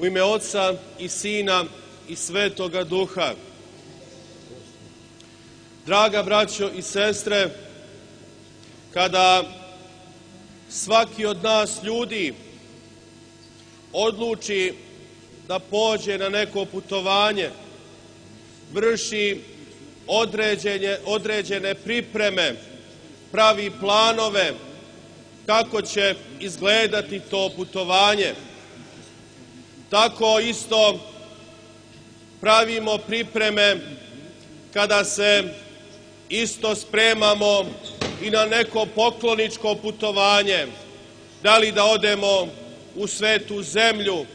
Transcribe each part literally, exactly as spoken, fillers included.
U ime Oca i Sina i Svetoga Duha. Draga braćo i sestre, kada svaki od nas ljudi odluči da pođe na neko putovanje, vrši određene, određene pripreme, pravi planove kako će izgledati to putovanje, tako isto pravimo pripreme kada se isto spremamo i na neko pokloničko putovanje, da li da odemo u Svetu zemlju,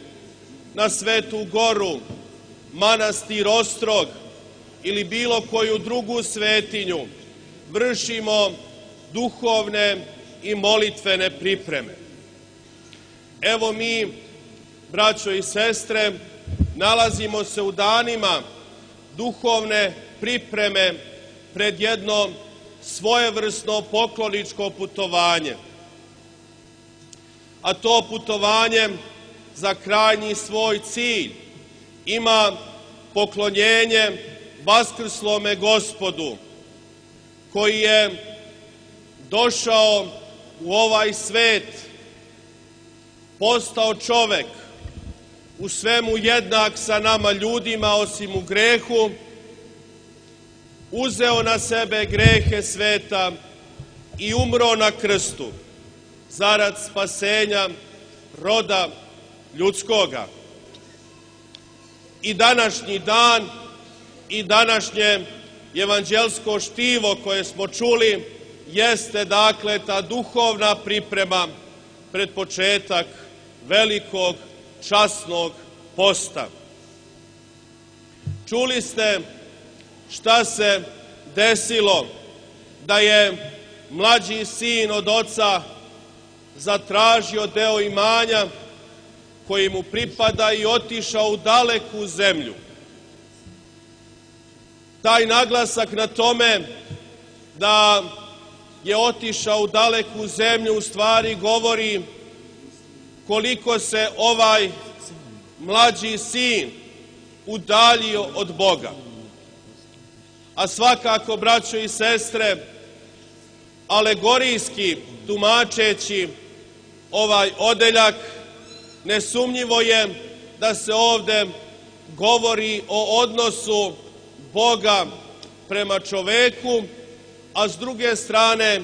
na Svetu goru, manastir Ostrog ili bilo koju drugu svetinju, vršimo duhovne i molitvene pripreme. Evo mi, braćo i sestre, nalazimo se u danima duhovne pripreme pred jedno svojevrsno pokloničko putovanje. A to putovanje za krajnji svoj cilj ima poklonjenje vaskrslome Gospodu, koji je došao u ovaj svet, postao čovek, u svemu jednak sa nama ljudima osim u grehu, uzeo na sebe grehe sveta i umro na krstu zarad spasenja roda ljudskoga. I današnji dan i današnje evanđelsko štivo koje smo čuli jeste dakle ta duhovna priprema pred početak velikog časnog posta. Čuli ste šta se desilo da je mlađi sin od oca zatražio deo imanja koji mu pripada i otišao u daleku zemlju. Taj naglasak na tome da je otišao u daleku zemlju u stvari govori koliko se ovaj mlađi sin udaljio od Boga. A svakako, braćo i sestre, alegorijski tumačeći ovaj odeljak, nesumnjivo je da se ovde govori o odnosu Boga prema čoveku, a s druge strane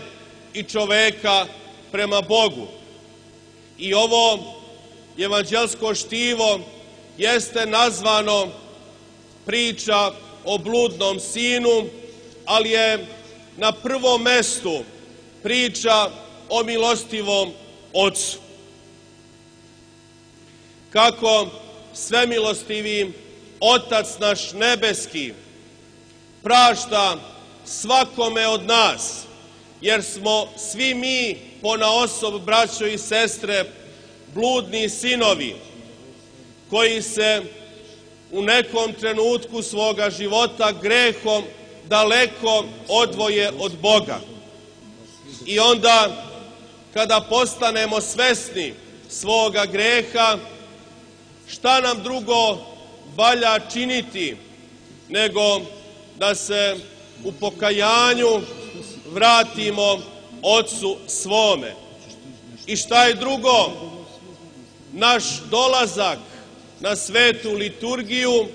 i čoveka prema Bogu. I ovo evanđelsko štivo jeste nazvano priča o bludnom sinu, ali je na prvom mestu priča o milostivom Ocu. Kako svemilostivi Otac naš nebeski prašta svakome od nas, jer smo svi mi ponaosob, braćo i sestre, bludni sinovi, koji se u nekom trenutku svoga života grehom daleko odvoje od Boga. I onda, kada postanemo svesni svoga greha, šta nam drugo valja činiti nego da se u pokajanju vratimo Ocu svome. I šta je drugo? Naš dolazak na svetu liturgiju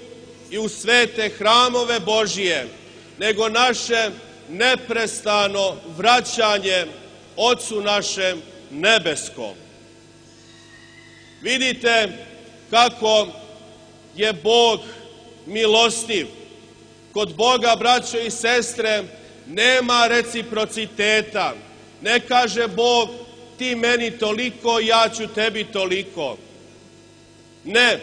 i u svete hramove Božije, nego naše neprestano vraćanje Ocu našem nebeskom. Vidite kako je Bog milostiv. Kod Boga, braćo i sestre, nema reciprociteta. Ne kaže Bog ti meni toliko, ja ću tebi toliko. Ne,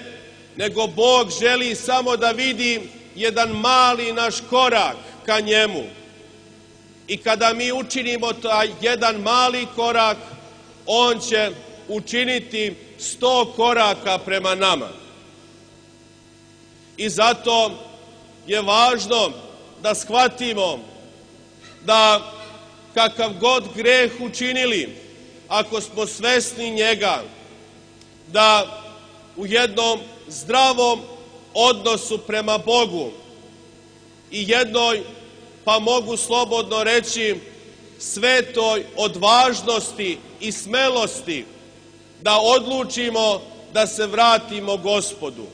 nego Bog želi samo da vidi jedan mali naš korak ka njemu. I kada mi učinimo taj jedan mali korak, on će učiniti sto koraka prema nama. I zato je važno da shvatimo da kakav god greh učinili, ako smo svesni njega, da u jednom zdravom odnosu prema Bogu i jednoj, pa mogu slobodno reći, svetoj odvažnosti i smelosti da odlučimo da se vratimo Gospodu.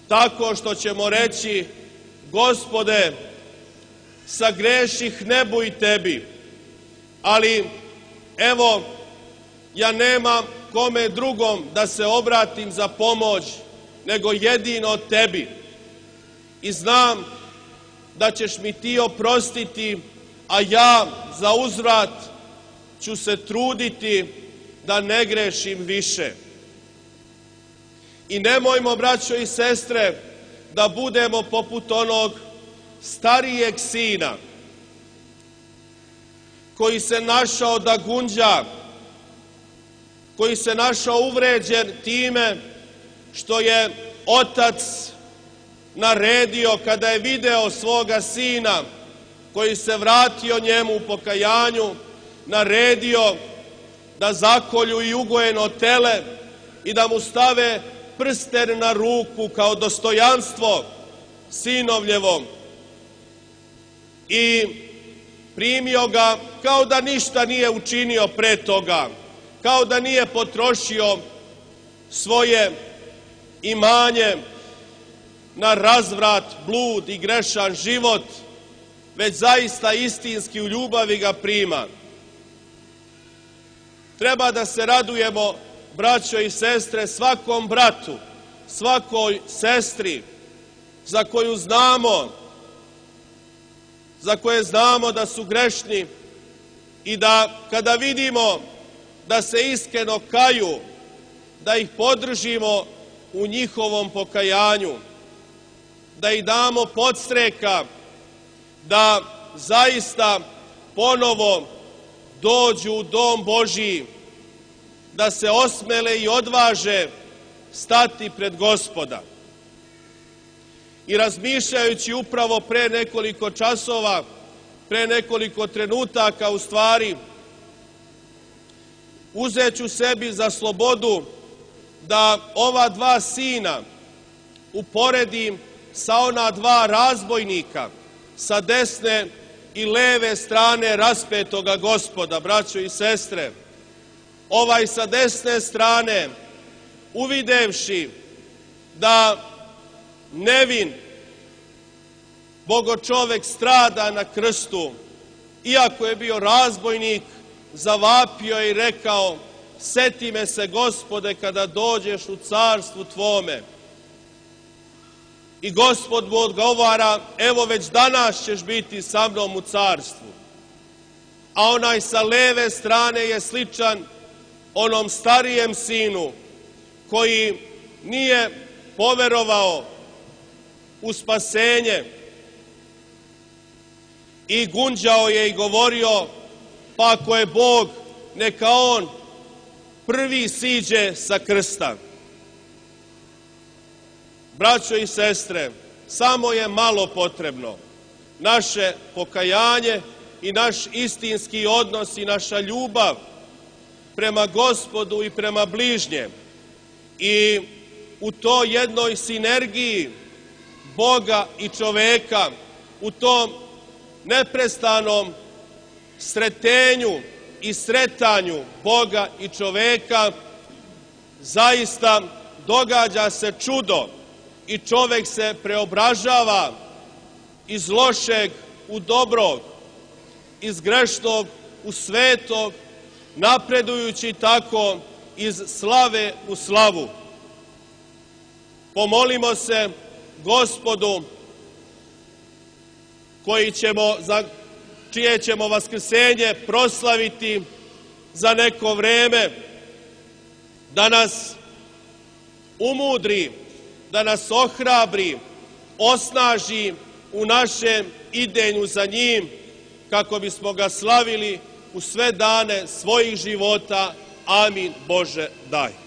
Tako što ćemo reći: Gospode, sagreših nebu i tebi, ali evo, ja nemam kome drugom da se obratim za pomoć nego jedino tebi. I znam da ćeš mi ti oprostiti, a ja za uzvrat ću se truditi da ne grešim više. I nemojmo, braćo i sestre, da budemo poput onog starijeg sina koji se našao da gunđa, koji se našao uvređen time što je otac naredio, kada je video svoga sina koji se vratio njemu u pokajanju, naredio da zakolju i ugojeno tele i da mu stave prsten na ruku kao dostojanstvo sinovljevom. I primio ga kao da ništa nije učinio pre toga, kao da nije potrošio svoje imanje na razvrat, blud i grešan život, već zaista istinski u ljubavi ga prima. Treba da se radujemo, braćo i sestre, svakom bratu, svakoj sestri za koju znamo, za koje znamo da su grešni i da kada vidimo da se iskreno kaju, da ih podržimo u njihovom pokajanju, da ih damo podstreka da zaista ponovo dođu u dom Božiji, da se osmele i odvaže stati pred Gospoda. I razmišljajući upravo pre nekoliko časova, pre nekoliko trenutaka u stvari, uzet ću sebi za slobodu da ova dva sina uporedim sa ona dva razbojnika sa desne i leve strane raspetoga Gospoda, braćo i sestre. Ovaj sa desne strane, uvidevši da nevin bogočovek strada na krstu, iako je bio razbojnik, zavapio i rekao: seti me se, Gospode, kada dođeš u carstvu tvome. I Gospod mu odgovara: evo, već danas ćeš biti sa mnom u carstvu. A onaj sa leve strane je sličan onom starijem sinu koji nije poverovao u spasenje i gunđao je i govorio: pa ako je Bog, neka on prvi siđe sa krsta. Braćo i sestre, samo je malo potrebno naše pokajanje i naš istinski odnos i naša ljubav prema Gospodu i prema bližnjem. I u toj jednoj sinergiji Boga i čoveka, u tom neprestanom sretenju i sretanju Boga i čoveka, zaista događa se čudo i čovek se preobražava iz lošeg u dobrog, iz grešnog u svetog, napredujući tako iz slave u slavu. Pomolimo se Gospodu, koji ćemo, za čije ćemo vaskrsenje proslaviti za neko vreme, da nas umudri, da nas ohrabri, osnaži u našem idenju za njim, kako bismo ga slavili u sve dane svojih života. Amin, Bože, daj.